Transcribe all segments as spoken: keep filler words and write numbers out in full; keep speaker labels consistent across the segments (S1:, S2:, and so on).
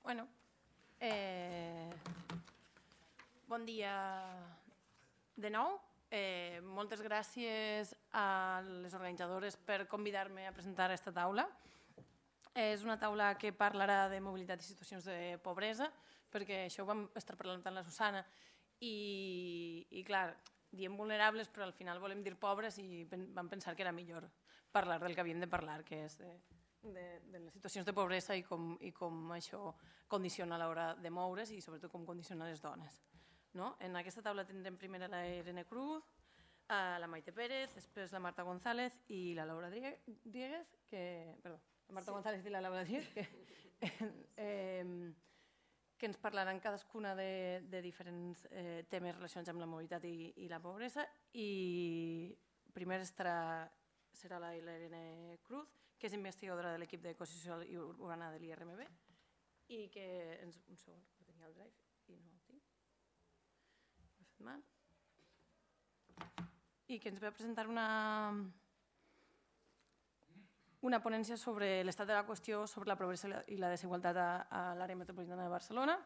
S1: Bueno, eh, bon dia de nou. Eh, moltes gràcies a les organitzadores per convidar-me a presentar aquesta taula. És una taula que parlarà de mobilitat i situacions de pobresa, perquè això ho vam estar parlant amb la Susana i, i clar, diem vulnerables, però al final volem dir pobres i vam pensar que era millor parlar del que havíem de parlar, que és de, de, de les situacions de pobresa i com, i com això condiciona a l'hora de moure's i sobretot com condiciona les dones. No? En aquesta taula tindrem primer a la Irene Cruz, a la Maite Pérez, després la Marta González i la Laura Dieguez, que, perdó, la Marta sí. González i la Laura Dieguez, que, eh, que ens parlaran cadascuna de, de diferents eh, temes relacionats amb la mobilitat i, i la pobresa. I primer estarà, serà la Irene Cruz, que és investigadora de l'equip d'Economia Social i Urbana de l'I R M B i que ens... Un segon, que tenia el drive i no el tinc. I que ens va presentar una, una ponència sobre l'estat de la qüestió sobre la pobresa i la desigualtat a, a l'àrea metropolitana de Barcelona.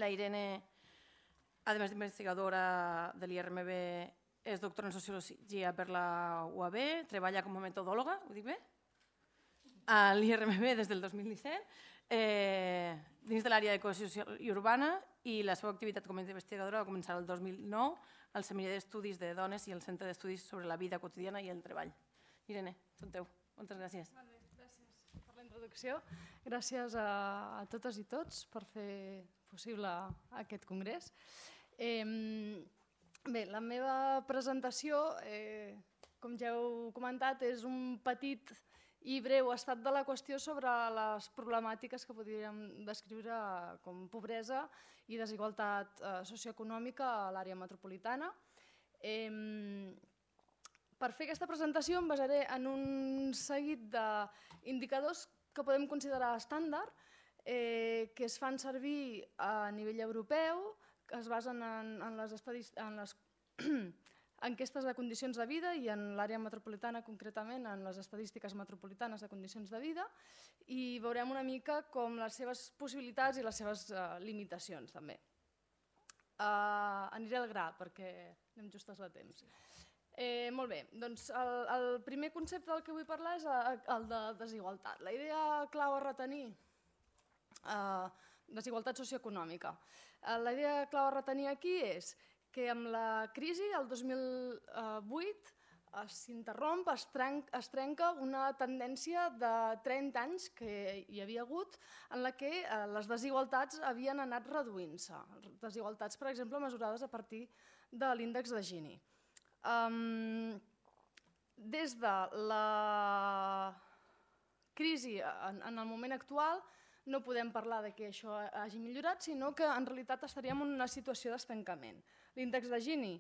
S1: La Irene, a més d'investigadora de l'I R M B, és doctora en Sociologia per la U A B, treballa com a metodòloga, ho dic bé? A l'I R M B des del dos mil disset, eh, dins de l'àrea de cohesió social i urbana, i la seva activitat com a investigadora va començar el dos mil nou al Seminari d'Estudis de Dones i al Centre d'Estudis sobre la Vida Quotidiana i el Treball. Irene, tot teu. Moltes gràcies.
S2: Molt bé, gràcies per la introducció. Gràcies a, a totes i tots per fer possible aquest congrés. Eh, bé, la meva presentació, eh, com ja heu comentat, és un petit i breu estat de la qüestió sobre les problemàtiques que podríem descriure com pobresa i desigualtat eh, socioeconòmica a l'àrea metropolitana. Eh, per fer aquesta presentació em basaré en un seguit d'indicadors que podem considerar estàndard, eh, que es fan servir a nivell europeu, que es basen en, en les, en les enquestes de condicions de vida i en l'àrea metropolitana concretament, en les estadístiques metropolitanes de condicions de vida, i veurem una mica com les seves possibilitats i les seves uh, limitacions també. Uh, aniré al gra perquè anem justes de temps. Eh, molt bé, doncs el, el primer concepte del que vull parlar és el de desigualtat. La idea clau a retenir, uh, desigualtat socioeconòmica. Uh, la idea clau a retenir aquí és que amb la crisi, el dos mil vuit, s'interromp, es, es trenca una tendència de trenta anys que hi havia hagut en la que les desigualtats havien anat reduint-se. Desigualtats, per exemple, mesurades a partir de l'índex de Gini. Um, des de la crisi en, en el moment actual, no podem parlar de que això hagi millorat, sinó que en realitat estaríem en una situació d'estancament. L'índex de Gini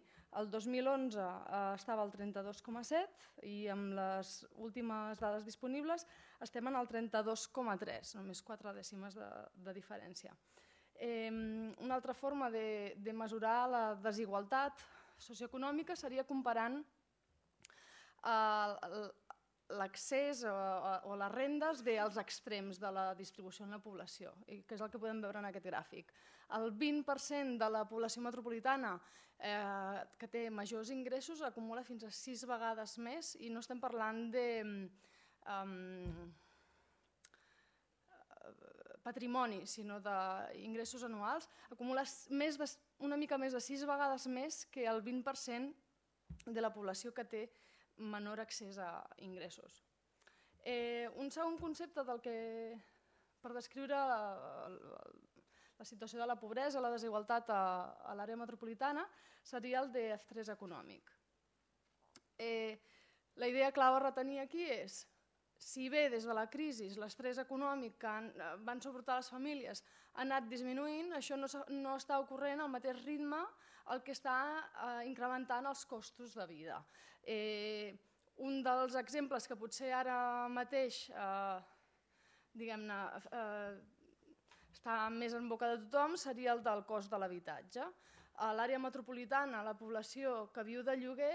S2: el dos mil onze eh, estava al trenta-dos coma set i amb les últimes dades disponibles estem en el trenta-dos coma tres, només quatre dècimes de, de diferència. Eh, una altra forma de, de mesurar la desigualtat socioeconòmica seria comparant eh, l'accés o, o les rendes bé als extrems de la distribució en la població, que és el que podem veure en aquest gràfic. El vint per cent de la població metropolitana eh, que té majors ingressos acumula fins a sis vegades més i no estem parlant de um, patrimoni, sinó d'ingressos anuals, acumula més de, una mica més de sis vegades més que el vint per cent de la població que té menor accés a ingressos. Eh, un segon concepte del que, per descriure la, la situació de la pobresa, la desigualtat a, a l'àrea metropolitana, seria el d'estrès econòmic. Eh, la idea clau a retenir aquí és, si bé des de la crisi l'estrès econòmic que han, van suportar les famílies ha anat disminuint, això no, no està ocorrent al mateix ritme el que està eh, incrementant els costos de vida. Eh, un dels exemples que potser ara mateix eh, diguem-ne, eh, està més en boca de tothom seria el del cost de l'habitatge. A l'àrea metropolitana, la població que viu de lloguer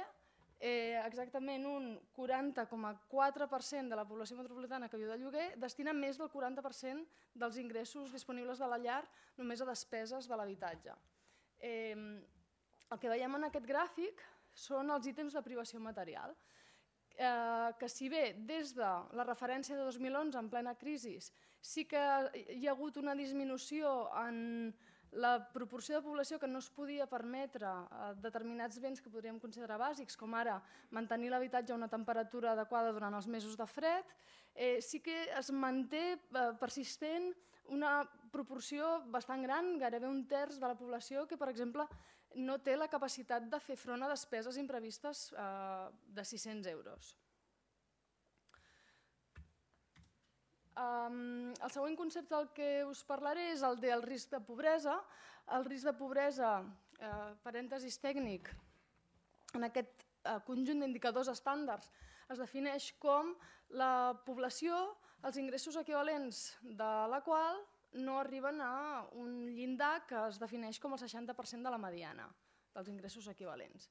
S2: exactament un quaranta coma quatre per cent de la població metropolitana que viu de lloguer destina més del quaranta per cent dels ingressos disponibles de la llar només a despeses de l'habitatge. El que veiem en aquest gràfic són els ítems de privació material, que si bé des de la referència de dos mil onze en plena crisi sí que hi ha hagut una disminució en la proporció de població que no es podia permetre determinats béns que podríem considerar bàsics, com ara mantenir l'habitatge a una temperatura adequada durant els mesos de fred, sí que es manté persistent una proporció bastant gran, gairebé un terç de la població que, per exemple, no té la capacitat de fer front a despeses imprevistes de sis-cents euros. El següent concepte del que us parlaré és el del risc de pobresa. El risc de pobresa, parèntesis tècnic, en aquest conjunt d'indicadors estàndards es defineix com la població, els ingressos equivalents de la qual no arriben a un llindar que es defineix com el seixanta per cent de la mediana dels ingressos equivalents.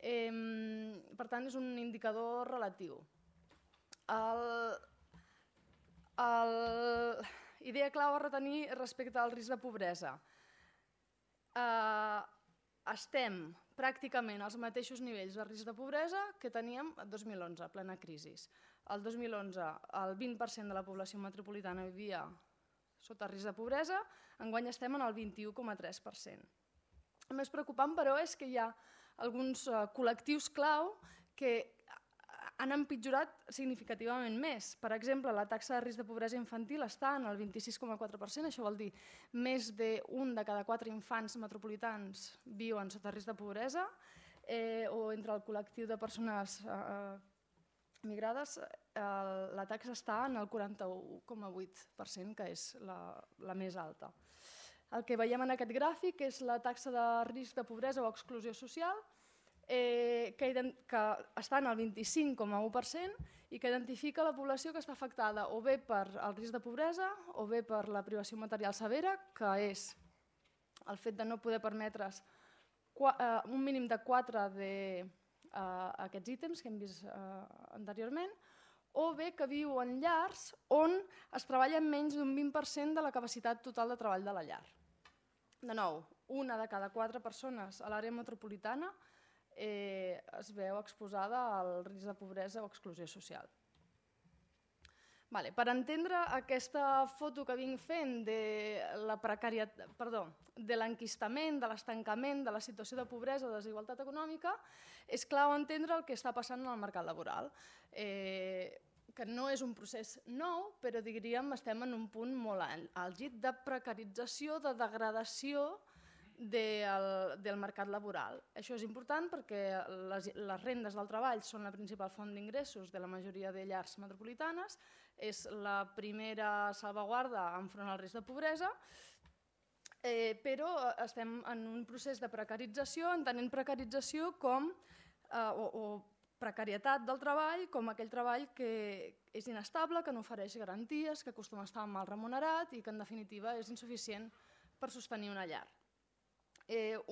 S2: Per tant, és un indicador relatiu. Idea clau a retenir respecte al risc de pobresa. Estem pràcticament als mateixos nivells de risc de pobresa que teníem el dos mil onze, plena crisi. El dos mil onze el vint per cent de la població metropolitana vivia sota risc de pobresa, enguany estem en el vint-i-u coma tres per cent. El més preocupant, però, és que hi ha alguns col·lectius clau que han empitjorat significativament més. Per exemple, la taxa de risc de pobresa infantil està en el vint-i-sis coma quatre per cent, això vol dir més d'un de cada quatre infants metropolitans viuen sota risc de pobresa, o entre el col·lectiu de persones migrades la taxa està en el quaranta-u coma vuit per cent, que és la més alta. El que veiem en aquest gràfic és la taxa de risc de pobresa o exclusió social, que està en el vint-i-cinc coma u per cent i que identifica la població que està afectada o bé per el risc de pobresa o bé per la privació material severa, que és el fet de no poder permetre's un mínim de quatre d'aquests ítems que hem vist anteriorment, o bé que viu en llars on es treballa amb menys d'un vint per cent de la capacitat total de treball de la llar. De nou, una de cada quatre persones a l'àrea metropolitana es veu exposada al risc de pobresa o exclusió social. Per entendre aquesta foto que vinc fent de l'enquistament, de l'estancament, de la situació de pobresa o desigualtat econòmica, és clau entendre el que està passant en el mercat laboral, que no és un procés nou, però diríem estem en un punt molt àlgid de precarització, de degradació del mercat laboral. Això és important perquè les rendes del treball són la principal font d'ingressos de la majoria de llars metropolitanes, és la primera salvaguarda enfront al risc de pobresa, però estem en un procés de precarització, entenent precarització com o precarietat del treball com aquell treball que és inestable, que no ofereix garanties, que acostuma a estar mal remunerat i que en definitiva és insuficient per sostenir una llar.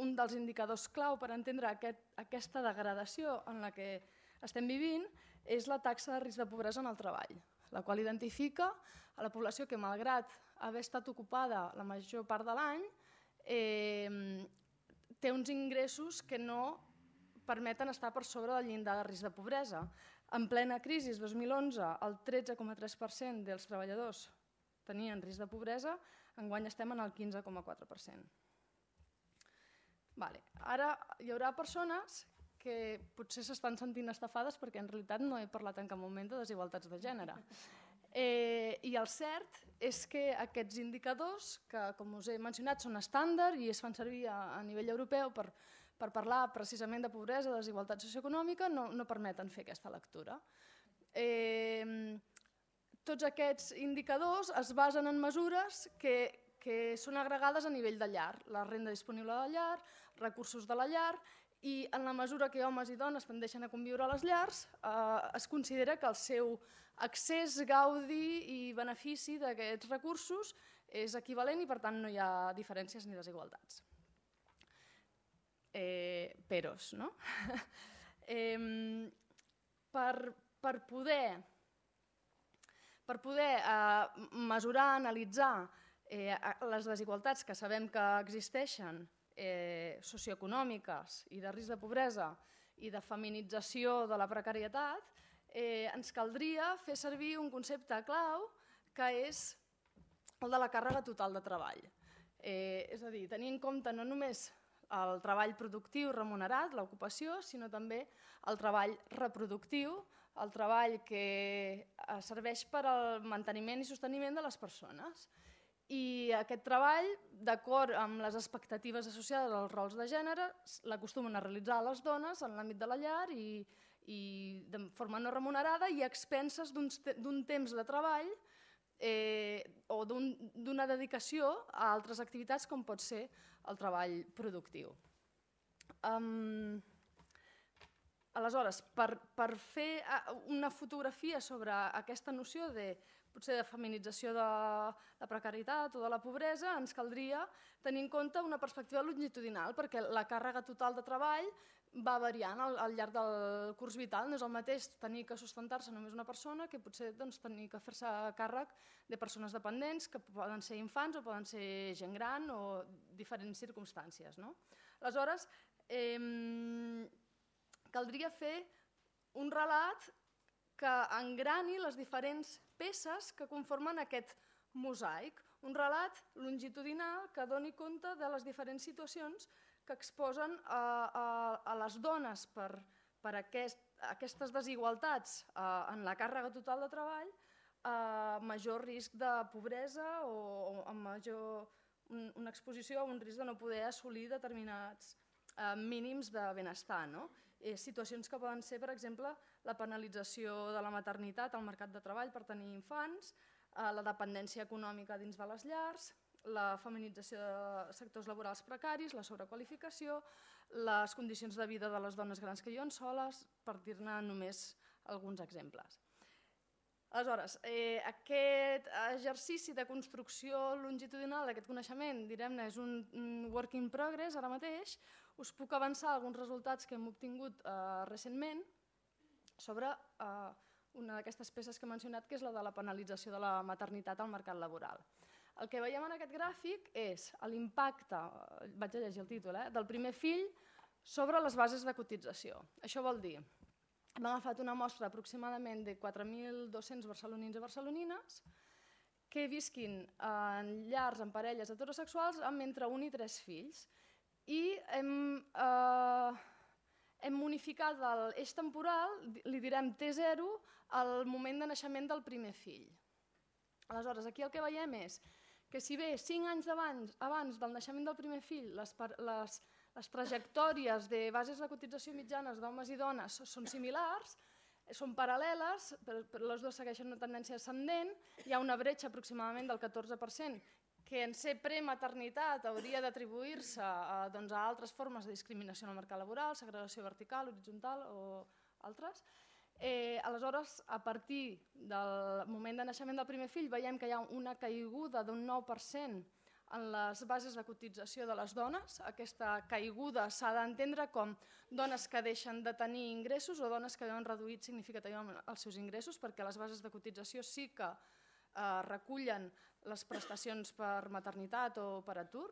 S2: Un dels indicadors clau per entendre aquesta degradació en la que estem vivint és la taxa de risc de pobresa en el treball, la qual identifica a la població que, malgrat haver estat ocupada la major part de l'any, té uns ingressos que no permeten estar per sobre del llindar de risc de pobresa. En plena crisi, dos mil onze, el tretze coma tres per cent dels treballadors tenien risc de pobresa, enguany estem en el quinze coma quatre per cent. Ara hi haurà persones que potser s'estan sentint estafades perquè en realitat no he parlat en cap moment de desigualtats de gènere. I el cert és que aquests indicadors, que com us he mencionat són estàndard i es fan servir a nivell europeu per per parlar precisament de pobresa, de desigualtat socioeconòmica, no permeten fer aquesta lectura. Tots aquests indicadors es basen en mesures que són agregades a nivell de llar, la renda disponible de la llar, recursos de la llar, i en la mesura que homes i dones tendeixen a conviure a les llars, es considera que el seu accés, gaudi i benefici d'aquests recursos és equivalent i per tant no hi ha diferències ni desigualtats. Peros, no? Eh, per, per poder, per poder eh, mesurar, analitzar eh, les desigualtats que sabem que existeixen, eh, socioeconòmiques i de risc de pobresa i de feminització de la precarietat, eh, ens caldria fer servir un concepte clau que és el de la càrrega total de treball. Eh, és a dir, tenir en compte no només el treball productiu remunerat, l'ocupació, sinó també el treball reproductiu, el treball que serveix per al manteniment i sosteniment de les persones. I aquest treball, d'acord amb les expectatives associades als rols de gènere, l'acostumen a realitzar les dones en l'àmbit de la llar i, i de forma no remunerada i a expenses d'un temps de treball eh, o d'una dedicació a altres activitats com pot ser el treball productiu. Um, aleshores, per, per fer una fotografia sobre aquesta noció de potser de feminització de la precarietat o de la pobresa, ens caldria tenir en compte una perspectiva longitudinal, perquè la càrrega total de treball va variant al, al llarg del curs vital. No és el mateix tenir que sustentar-se només una persona que potser doncs, tenir que fer-se càrrec de persones dependents, que poden ser infants o poden ser gent gran o diferents circumstàncies. No? Aleshores, eh, caldria fer un relat que engrani les diferents peces que conformen aquest mosaic, un relat longitudinal que doni compte de les diferents situacions que exposen a, a, a les dones per, per aquest, aquestes desigualtats a, en la càrrega total de treball, a major risc de pobresa o, o a major, un, una exposició a un risc de no poder assolir determinats eh, mínims de benestar. No? Eh, situacions que poden ser, per exemple, la penalització de la maternitat al mercat de treball per tenir infants, eh, la dependència econòmica dins de les llars, la feminització de sectors laborals precaris, la sobrequalificació, les condicions de vida de les dones grans que viuen soles, per dir-ne només alguns exemples. Aleshores, eh, aquest exercici de construcció longitudinal d'aquest coneixement, direm-ne, és un, un work in progress ara mateix. Us puc avançar alguns resultats que hem obtingut eh, recentment sobre eh, una d'aquestes peces que he mencionat, que és la de la penalització de la maternitat al mercat laboral. El que veiem en aquest gràfic és l'impacte, vaig a llegir el títol, eh, del primer fill sobre les bases de cotització. Això vol dir, hem agafat una mostra aproximadament de quatre mil dos-cents barcelonins i barcelonines que visquin en llars, en parelles heterosexuals amb entre un i tres fills i hem, eh, hem unificat l'eix temporal, li direm T zero, al moment de naixement del primer fill. Aleshores, aquí el que veiem és que si bé cinc anys abans, abans del naixement del primer fill les, les, les trajectòries de bases de cotització mitjanes d'homes i dones són similars, són paral·leles, però les dues segueixen una tendència ascendent, hi ha una bretxa aproximadament del catorze per cent que en ser prematernitat hauria d'atribuir-se a, doncs, a altres formes de discriminació en el mercat laboral, segregació vertical, horitzontal o altres. Eh, aleshores, a partir del moment de naixement del primer fill, veiem que hi ha una caiguda d'un nou per cent en les bases de cotització de les dones. Aquesta caiguda s'ha d'entendre com dones que deixen de tenir ingressos o dones que han reduït significativament els seus ingressos, perquè les bases de cotització sí que eh, recullen les prestacions per maternitat o per atur.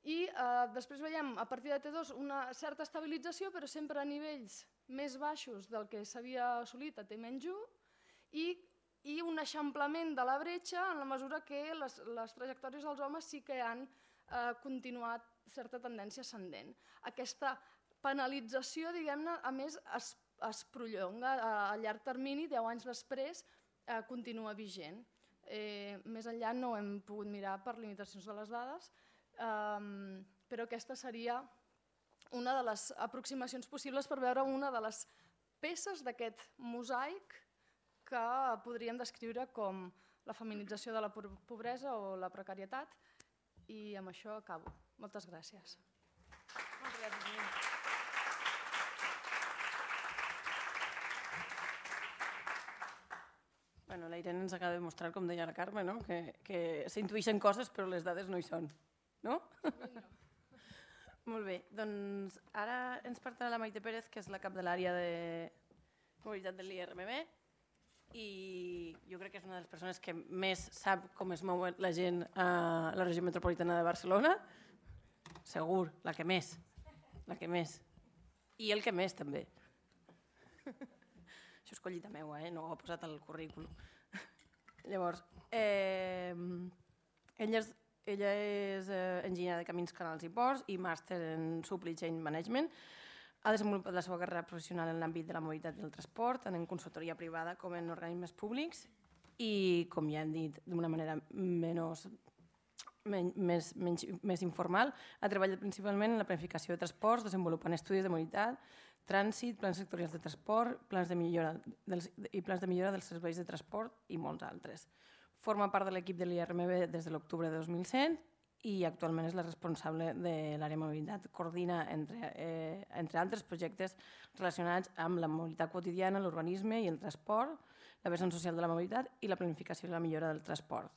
S2: I eh, després veiem a partir de T dos una certa estabilització, però sempre a nivells més baixos del que s'havia assolit a T menys u i, i un eixamplament de la bretxa en la mesura que les, les trajectòries dels homes sí que han eh, continuat certa tendència ascendent. Aquesta penalització, diguem-ne, a més es, es prolonga a, a llarg termini, deu anys després, eh, continua vigent. Eh, més enllà no hem pogut mirar per limitacions de les dades, Um, però aquesta seria una de les aproximacions possibles per veure una de les peces d'aquest mosaic que podríem descriure com la feminització de la pobresa o la precarietat, i amb això acabo. Moltes gràcies. Moltes gràcies, Nina.
S1: Bueno, la Irene ens acaba de mostrar, com deia la Carme, no? que, que s'intuïxen coses però les dades no hi són. No? Molt bé, doncs ara ens parlarà la Maite Pérez, que és la cap de l'àrea de mobilitat de l'I R M B, i jo crec que és una de les persones que més sap com es mou la gent a la regió metropolitana de Barcelona. Segur, la que més, la que més. I el que més, també. Això és collita meua, eh? No ho he posat al currículum. Llavors, eh, ella és, ella és eh, enginyera de camins, canals i ports i màster en Supply Chain Management. Ha desenvolupat la seva carrera professional en l'àmbit de la mobilitat i el transport, tant en consultoria privada com en organismes públics i, com ja hem dit, d'una manera menys, més, menys, més informal, ha treballat principalment en la planificació de transports, desenvolupant estudis de mobilitat, trànsit, plans sectorials de transport, plans de millora dels, i plans de millora dels serveis de transport i molts altres. Forma part de l'equip de l'I R M B des de l'octubre de dos mil set i actualment és la responsable de l'àrea mobilitat. Coordina, entre, eh, entre altres projectes relacionats amb la mobilitat quotidiana, l'urbanisme i el transport, la vessant social de la mobilitat i la planificació i la millora del transport.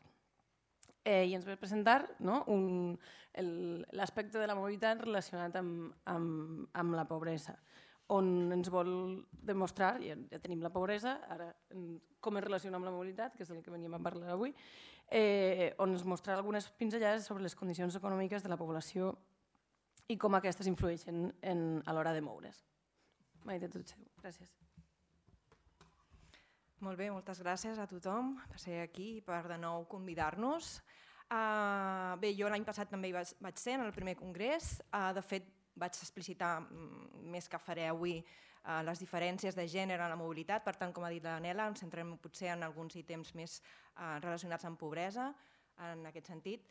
S1: Eh, I ens ve a presentar, no, l'aspecte de la mobilitat relacionat amb, amb, amb la pobresa, on ens vol demostrar, ja, ja tenim la pobresa, ara com es relaciona amb la mobilitat, que és el que veníem a parlar avui, eh, on ens mostra algunes pinzellades sobre les condicions econòmiques de la població i com aquestes influeixen en, a l'hora de moure's. Maite, tot seu. Gràcies.
S3: Molt bé, moltes gràcies a tothom per ser aquí i per de nou convidar-nos. Uh, bé, jo l'any passat també hi vaig, vaig ser en el primer congrés. Uh, de fet, vaig explicitar més que faré avui uh, les diferències de gènere en la mobilitat. Per tant, com ha dit la Nela, ens centrem potser en alguns ítems més uh, relacionats amb pobresa, en aquest sentit.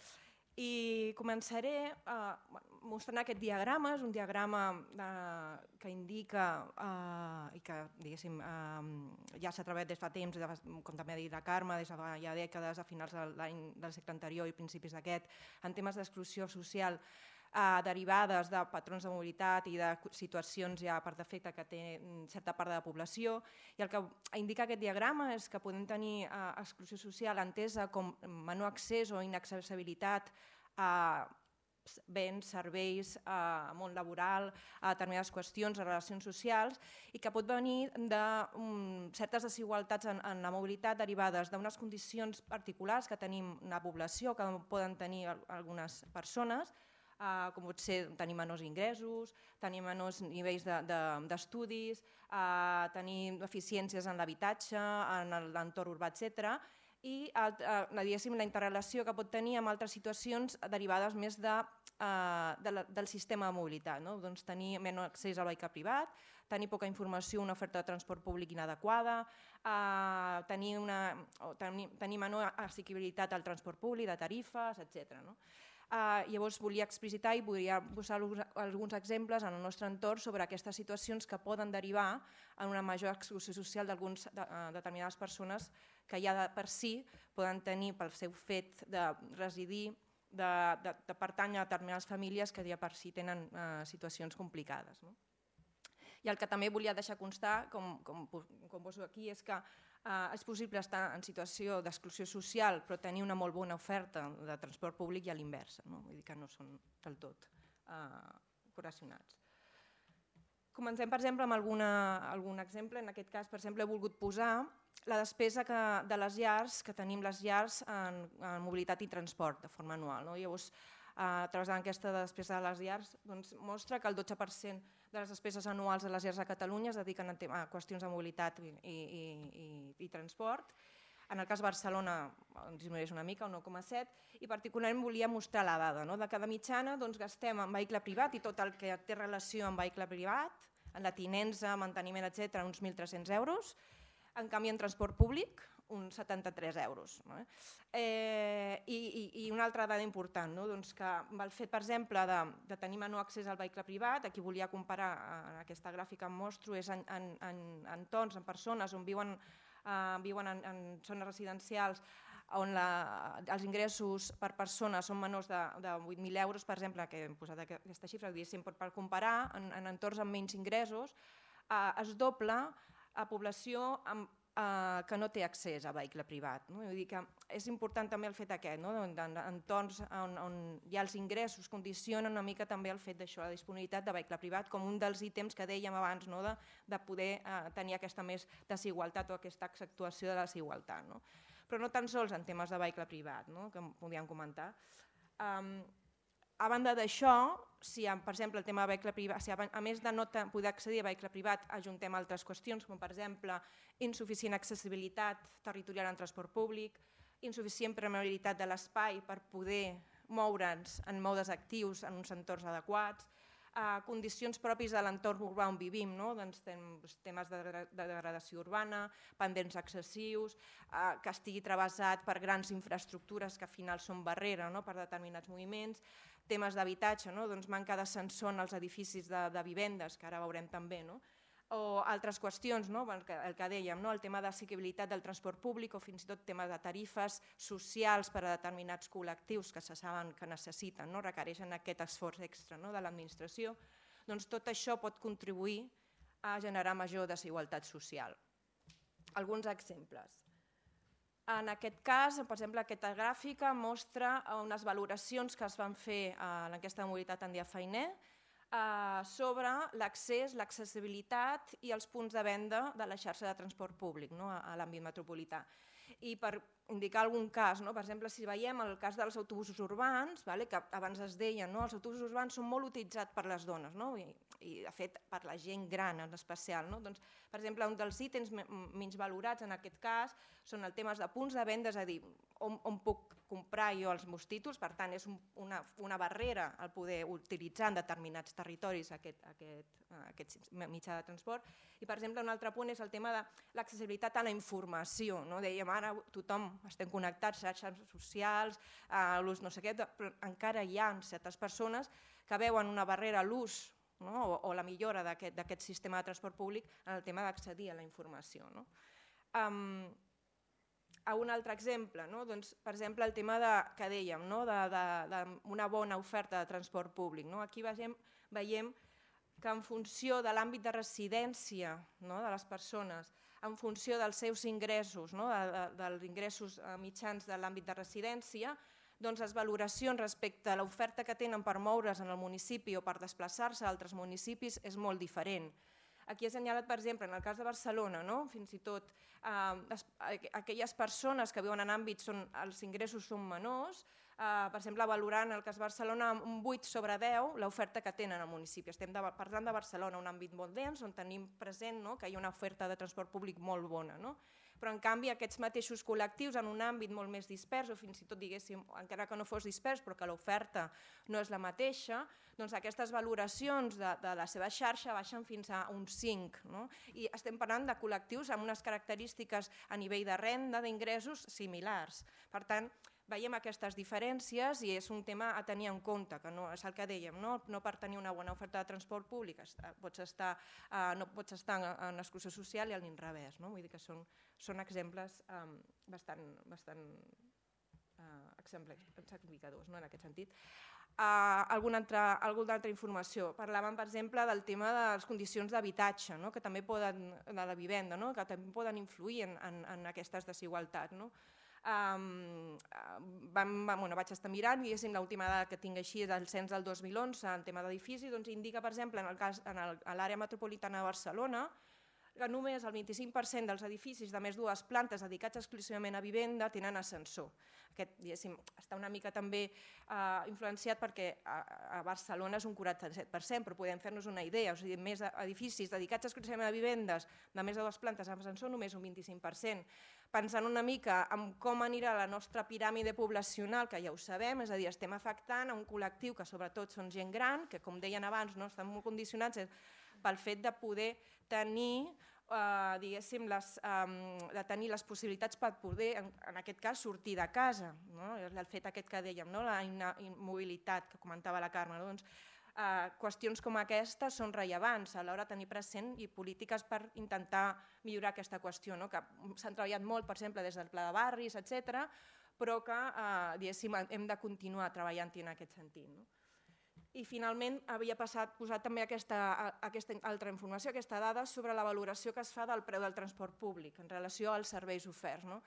S3: I començaré uh, mostrant aquest diagrama. És un diagrama uh, que indica uh, i que diguéssim, uh, ja s'ha treballat des fa temps, com també ha dit la Carme, des de fa ja dècades, a finals de l'any del segle anterior i principis d'aquest, en temes d'exclusió social uh, derivades de patrons de mobilitat i de situacions ja per defecte que té certa part de la població. I el que indica aquest diagrama és que podem tenir uh, exclusió social entesa com menor accés o inaccessibilitat a béns, serveis, a món laboral, a determinades qüestions, a relacions socials, i que pot venir de um, certes desigualtats en, en la mobilitat derivades d'unes condicions particulars que tenim una població, que poden tenir algunes persones, uh, com pot ser tenir menors ingressos, tenir menors nivells d'estudis, de, de uh, tenir deficiències en l'habitatge, en l'entorn urbà, etcètera, i uh, la interrelació que pot tenir amb altres situacions derivades més de, uh, de la, del sistema de mobilitat. No? Doncs tenir menys accés al vehicle privat, tenir poca informació, una oferta de transport públic inadequada, uh, tenir, una, tenir, tenir menor assequibilitat al transport públic, de tarifes, etcètera. No? Uh, llavors volia explicitar i volia posar alguns exemples en el nostre entorn sobre aquestes situacions que poden derivar en una major exclusió social d'algunes de, uh, determinades persones que ja de per si poden tenir pel seu fet de residir, de, de, de pertànyer a determinades famílies que ja per si tenen uh, situacions complicades. No? I el que també volia deixar constar, com, com, com poso aquí, és que uh, és possible estar en situació d'exclusió social però tenir una molt bona oferta de transport públic i a l'inversa, no? Vull dir que no són del tot uh, correlacionats. Comencem, per exemple, amb alguna, algun exemple. En aquest cas, per exemple, he volgut posar la despesa que, de les llars, que tenim les llars en, en mobilitat i transport de forma anual. No? Llavors, a través de l'enquesta de despesa de les llars, doncs, mostra que el dotze per cent de les despeses anuals de les llars a Catalunya es dediquen a, a qüestions de mobilitat i, i, i, i transport. En el cas de Barcelona disminueix una mica, un nou coma set, i particularment volia mostrar la dada. No? De cada mitjana doncs, gastem en vehicle privat i tot el que té relació amb vehicle privat, en la tinença, manteniment, etcètera, uns mil tres-cents euros. En canvi, en transport públic, uns setanta-tres euros. No? Eh, i, i una altra dada important, no? doncs que el fet, per exemple, de, de tenir menor accés al vehicle privat, aquí volia comparar, en aquesta gràfica em mostro, és en, en, en entorns, en persones on viuen, eh, viuen en, en zones residencials on la, els ingressos per persona són menors de, de vuit mil euros, per exemple, que hem posat aquesta xifra, per comparar, en, en entorns amb menys ingressos, eh, es dobla a població amb eh, que no té accés a vehicle privat. No? Vull dir que és important també el fet aquest, no? En entorns on, on hi ha els ingressos condicionen una mica també el fet d'això, la disponibilitat de vehicle privat com un dels ítems que dèiem abans, no? de, de poder eh, tenir aquesta més desigualtat o aquesta accentuació de la desigualtat. No? Però no tan sols en temes de vehicle privat, no? Que podíem comentar. Um, a banda d'això, si per exemple el tema de vehicle privat, si a més de no poder accedir a vehicle privat ajuntem altres qüestions, com per exemple insuficient accessibilitat territorial en transport públic, insuficient permeabilitat de l'espai per poder moure'ns en modes actius en uns entorns adequats, eh, condicions propis de l'entorn urbà on vivim, no? Doncs temes de, de degradació urbana, pendents excessius, eh, que estigui travessat per grans infraestructures que al final són barrera, no? Per determinats moviments, temes d'habitatge, no? Doncs manca d'ascensor en els edificis de, de vivendes, que ara veurem també, no? O altres qüestions, no? el, que, el que dèiem, no? El tema d'assequibilitat del transport públic o fins i tot temes de tarifes socials per a determinats col·lectius que se saben que necessiten, no? Requereixen aquest esforç extra, no? De l'administració, doncs tot això pot contribuir a generar major desigualtat social. Alguns exemples. En aquest cas, per exemple, aquesta gràfica mostra unes valoracions que es van fer a l'enquesta de mobilitat en dia feiner sobre l'accés, l'accessibilitat i els punts de venda de la xarxa de transport públic a l'àmbit metropolità. I per indicar algun cas, per exemple, si veiem el cas dels autobusos urbans, que abans es deia, els autobusos urbans són molt utilitzats per les dones i, de fet, per la gent gran en especial. Per exemple, un dels ítems menys valorats en aquest cas són els temes de punts de venda, és a dir, on puc comprar jo els meus títols, per tant és una barrera el poder utilitzar en determinats territoris aquest mitjà de transport. I per exemple un altre punt és el tema de l'accessibilitat a la informació. Dèiem ara tothom estem connectats, xarxes socials, l'ús no sé què, però encara hi ha certes persones que veuen una barrera a l'ús o la millora d'aquest sistema de transport públic en el tema d'accedir a la informació. Un altre exemple, per exemple, el tema que dèiem, d'una bona oferta de transport públic. Aquí veiem que en funció de l'àmbit de residència de les persones, en funció dels seus ingressos, dels ingressos mitjans de l'àmbit de residència, doncs les valoracions respecte a l'oferta que tenen per moure's en el municipi o per desplaçar-se a altres municipis és molt diferent. Aquí he assenyalat, per exemple, en el cas de Barcelona, fins i tot aquelles persones que viuen en àmbits on els ingressos són menors, per exemple, valorant el cas de Barcelona un vuit sobre deu l'oferta que tenen al municipi. Estem parlant de Barcelona, un àmbit molt dens, on tenim present que hi ha una oferta de transport públic molt bona. Però, en canvi, aquests mateixos col·lectius en un àmbit molt més dispers, o fins i tot, diguéssim, encara que no fos dispers, però que l'oferta no és la mateixa, doncs aquestes valoracions de la seva xarxa baixen fins a un cinc. I estem parlant de col·lectius amb unes característiques a nivell de renda, d'ingressos, similars. Per tant, veiem aquestes diferències i és un tema a tenir en compte, que és el que dèiem, no per tenir una bona oferta de transport públic no pots estar en exclusió social i a l'inrevés. Vull dir que són exemples bastant exemplificadors en aquest sentit. Alguna altra informació. Parlàvem, per exemple, del tema de les condicions d'habitatge, de la vivenda, que també poden influir en aquestes desigualtats. Vaig estar mirant, diguéssim, l'última dada que tinc així del cens del dos mil onze en tema d'edifici, indica, per exemple, en l'àrea metropolitana de Barcelona, que només el vint-i-cinc per cent dels edificis de més dues plantes dedicats exclusivament a vivenda tenen ascensor. Aquest, diguéssim, està una mica també influenciat perquè a Barcelona és un quaranta-set per cent, però podem fer-nos una idea, o sigui, més edificis dedicats exclusivament a vivendes de més de dues plantes amb ascensor, només un vint-i-cinc per cent. Pensant una mica en com anirà la nostra piràmide poblacional, que ja ho sabem, és a dir, estem afectant a un col·lectiu que sobretot són gent gran, que com deien abans estan molt condicionats pel fet de poder tenir diguéssim, de tenir les possibilitats per poder, en aquest cas, sortir de casa. El fet aquest que dèiem, la immobilitat que comentava la Carme. Qüestions com aquestes són rellevants a l'hora de tenir present i polítiques per intentar millorar aquesta qüestió, que s'han treballat molt, per exemple, des del Pla de Barris, etcètera, però que hem de continuar treballant-hi en aquest sentit. I finalment havia passat, posat també aquesta, aquesta altra informació, aquesta dada sobre la valoració que es fa del preu del transport públic en relació als serveis oferts. No?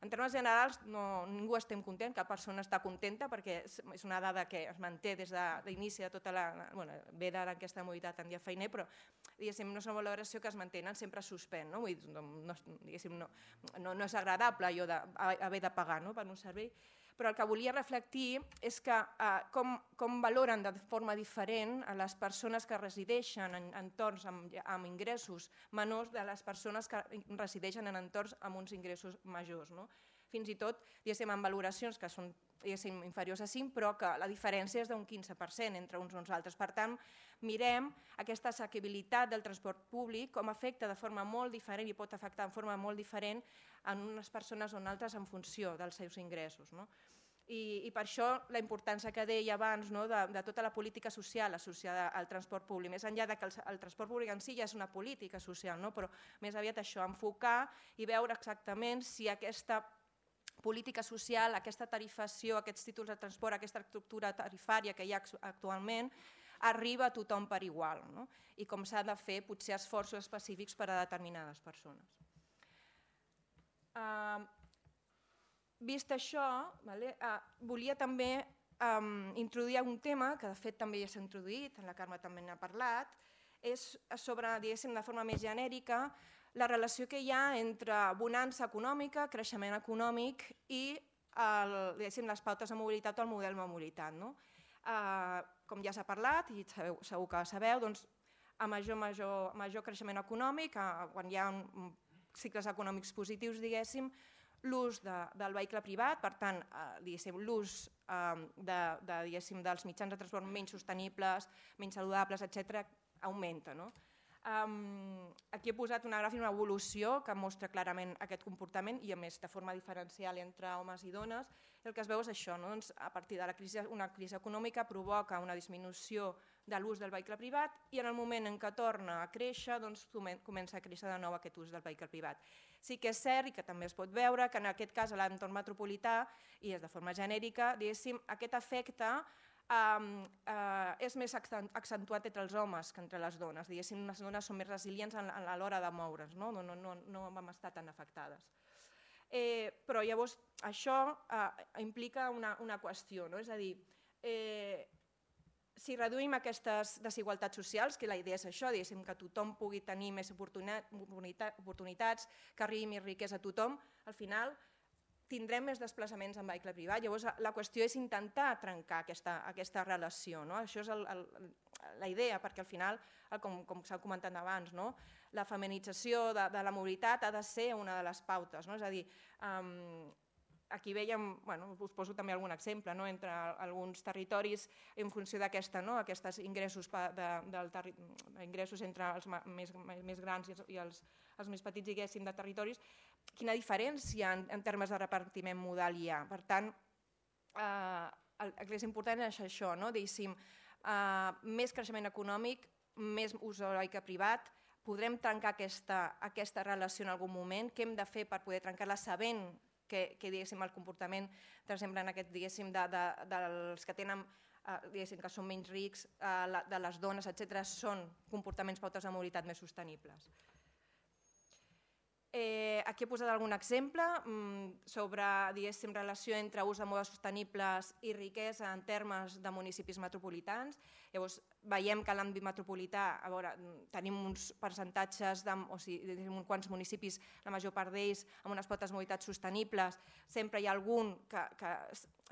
S3: En termes generals, no, ningú estem content, cap persona està contenta perquè és una dada que es manté des de l'inici de tota la... Bueno, ve d'ara aquesta mobilitat en dia feiner, però diguéssim, no és una valoració que es mantenen, sempre suspèn. No? Vull dir, no, no, no, no és agradable allò d'haver de pagar no? Per un servei. Però el que volia reflectir és que, eh, com, com valoren de forma diferent a les persones que resideixen en entorns amb, amb ingressos menors de les persones que resideixen en entorns amb uns ingressos majors. No? Fins i tot, diguéssim, amb valoracions que són diguéssim, inferiors a cinc, però que la diferència és d'un quinze per cent entre uns i uns altres. Per tant, mirem aquesta assequibilitat del transport públic com afecta de forma molt diferent i pot afectar de forma molt diferent en unes persones o en altres en funció dels seus ingressos. No? I, I per això la importància que deia abans no? de, de tota la política social associada al transport públic, més enllà de que el, el transport públic en si ja és una política social, no? Però més aviat això, enfocar i veure exactament si aquesta política social, aquesta tarifació, aquests títols de transport, aquesta estructura tarifària que hi ha actualment, arriba a tothom per igual, no? I com s'ha de fer potser esforços específics per a determinades persones. Uh, vist això, vale, uh, volia també um, introduir un tema que de fet també ja s'ha introduït, la Carme també n'ha parlat, és sobre, diguéssim, de forma més genèrica, la relació que hi ha entre bonança econòmica, creixement econòmic i el, diguéssim, les pautes de mobilitat o el model de mobilitat. No? Uh, com ja s'ha parlat, i sabeu, segur que sabeu, doncs, a major, major, major creixement econòmic, uh, quan hi ha un, cicles econòmics positius, diguéssim, l'ús de, del vehicle privat, per tant, eh, l'ús eh, de, de, dels mitjans de transport menys sostenibles, menys saludables, etcètera, augmenta. No? Um, aquí he posat una gràfica, una evolució que mostra clarament aquest comportament i a més de forma diferencial entre homes i dones. El que es veu és això, no? Doncs, a partir de la crisi, una crisi econòmica provoca una disminució de l'ús del vehicle privat i en el moment en què torna a créixer doncs, comença a créixer de nou aquest ús del vehicle privat. Sí que és cert i que també es pot veure que en aquest cas a l'entorn metropolità i és de forma genèrica, diguéssim, aquest efecte Uh, uh, és més accentuat entre els homes que entre les dones. Diguéssim, les dones són més resilients a l'hora de moure's, no? No, no, no, no vam estar tan afectades. Eh, però llavors això uh, implica una, una qüestió, no? És a dir, eh, si reduïm aquestes desigualtats socials, que la idea és això, diguéssim, que tothom pugui tenir més oportunitats, que arribi més riquesa a tothom, al final tindrem més desplaçaments en vehicle privat. Llavors, la qüestió és intentar trencar aquesta, aquesta relació. No? Això és el, el, la idea, perquè al final, com, com s'ha comentat abans, no? La feminització de, de la mobilitat ha de ser una de les pautes. No? És a dir, um, aquí veiem, bueno, us poso també algun exemple, no? Entre alguns territoris en funció d'aquesta, no? Aquests ingressos, de, del terri... ingressos entre els més, més grans i els, els més petits, diguéssim, de territoris, quina diferència en, en termes de repartiment modal hi ha. Per tant, eh, el, el que és important és això, no? Diguéssim, eh, més creixement econòmic, més ús del vehicle privat, podrem trencar aquesta, aquesta relació en algun moment, què hem de fer per poder trencar-la sabent que, que diguéssim, el comportament, per exemple, en aquest, diguéssim, de, de, dels que tenen eh, diguéssim, que són menys rics, eh, de les dones, etcètera, són comportaments pautes de mobilitat més sostenibles. Eh, aquí he posat algun exemple mm, sobre, diguéssim, relació entre ús de modes sostenibles i riquesa en termes de municipis metropolitans. Llavors, veiem que a l'àmbit metropolità, a veure, tenim uns percentatges, de, o sigui, uns quants municipis, la major part d'ells, amb unes potes de mobilitat sostenibles. Sempre hi ha algun que, que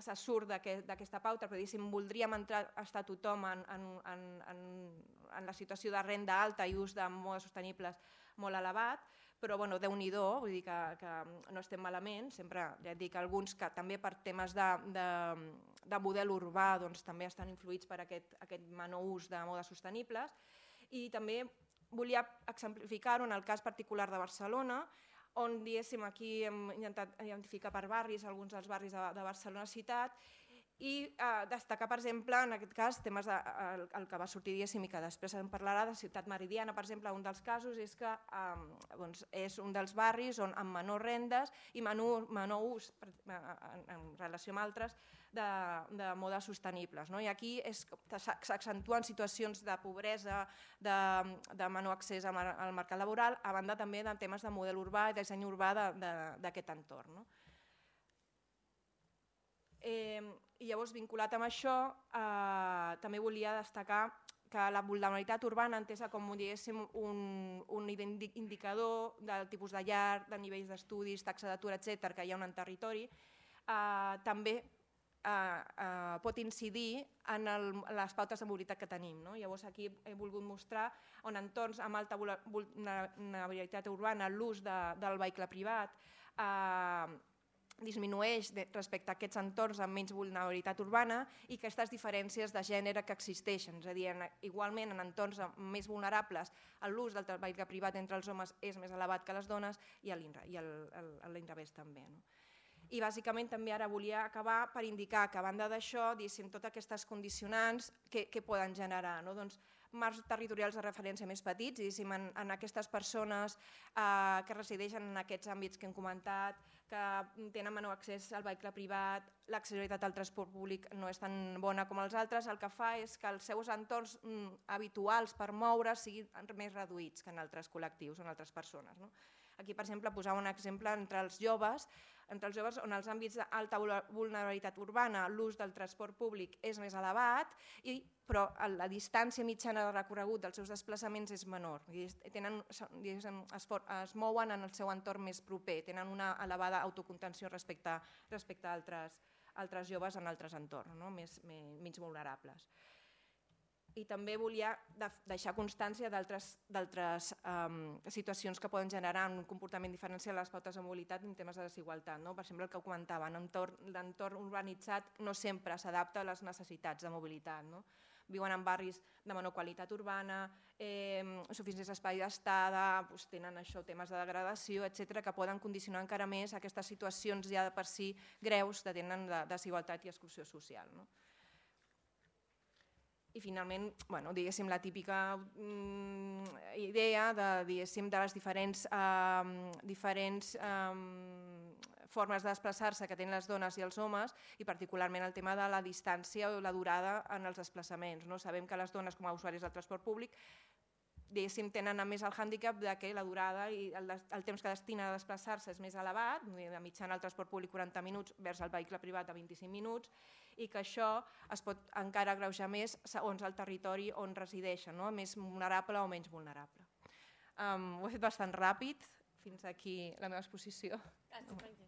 S3: se surt d'aquesta pauta, però diguéssim, voldríem entrar, estar tothom en, en, en, en, en la situació de renda alta i ús de modes sostenibles molt elevat, però bueno, Déu-n'hi-do, vull dir que, que no estem malament, sempre ja et dic alguns que també per temes de, de, de model urbà doncs, també estan influïts per aquest, aquest menor ús de modes sostenibles i també volia exemplificar-ho en el cas particular de Barcelona, on diguéssim aquí hem intentat identificar per barris, alguns dels barris de, de Barcelona ciutat, I eh, destacar, per exemple, en aquest cas, temes de, el, el que va sortir diguéssim i que després en parlarà de Ciutat Meridiana, per exemple, un dels casos és que eh, doncs és un dels barris on amb menors rendes i menor, menor ús per, en, en relació amb altres de, de modes sostenibles. No? I aquí s'accentuen situacions de pobresa, de, de menor accés al, al mercat laboral, a banda també de temes de model urbà i disseny urbà d'aquest entorn. No? Eh, I llavors, vinculat amb això, eh, també volia destacar que la vulnerabilitat urbana, entesa com un, un indicador del tipus de llar, de nivells d'estudis, taxa d'atur, etcètera, que hi ha en un territori, eh, també eh, eh, pot incidir en, el, en les pautes de mobilitat que tenim. No? Llavors, aquí he volgut mostrar on entorns amb alta vulnerabilitat urbana l'ús de, del vehicle privat eh, disminueix respecte a aquests entorns amb menys vulnerabilitat urbana i aquestes diferències de gènere que existeixen. És a dir, igualment en entorns més vulnerables l'ús del vehicle privat entre els homes és més elevat que les dones i a l'inrevés també. No? I bàsicament també ara volia acabar per indicar que a banda d'això, totes aquestes condicionants que, que poden generar. No? Doncs, marcs territorials de referència més petits, en, en aquestes persones eh, que resideixen en aquests àmbits que hem comentat, que tenen menor accés al vehicle privat, l'accessibilitat al transport públic no és tan bona com els altres, el que fa és que els seus entorns mm, habituals per moure siguin més reduïts que en altres col·lectius o en altres persones. No? Aquí, per exemple, posava un exemple entre els joves, entre els joves on els àmbits d'alta vulnerabilitat urbana, l'ús del transport públic és més elevat, i, però la distància mitjana de recorregut dels seus desplaçaments és menor. Tenen, es, es mouen en el seu entorn més proper, tenen una elevada autocontenció respecte, respecte a altres, altres joves en altres entorns, no? més, més, menys vulnerables. I també volia deixar constància d'altres um, situacions que poden generar un comportament diferencial a les pautes de mobilitat en temes de desigualtat. No? Per exemple, el que comentava, l'entorn urbanitzat no sempre s'adapta a les necessitats de mobilitat. No? Viuen en barris de menor qualitat urbana, eh, suficients espais d'estada, doncs tenen això, temes de degradació, etcètera, que poden condicionar encara més aquestes situacions ja de per si greus que tenen de desigualtat i exclusió social. No? I finalment, bueno, diguéssim, la típica mm, idea de, diguéssim, de les diferents, eh, diferents eh, formes de desplaçar-se que tenen les dones i els homes, i particularment el tema de la distància o la durada en els desplaçaments. No? Sabem que les dones, com a usuaris del transport públic, diguéssim, tenen a més el hàndicap que la durada i el, el temps que destina a desplaçar-se és més elevat, de mitjana el transport públic quaranta minuts vers el vehicle privat de vint-i-cinc minuts, i que això es pot encara agreujar més segons el territori on resideixen, no? Més vulnerable o menys vulnerable. Um, ho he fet bastant ràpid, fins aquí la meva exposició.
S1: Gràcies.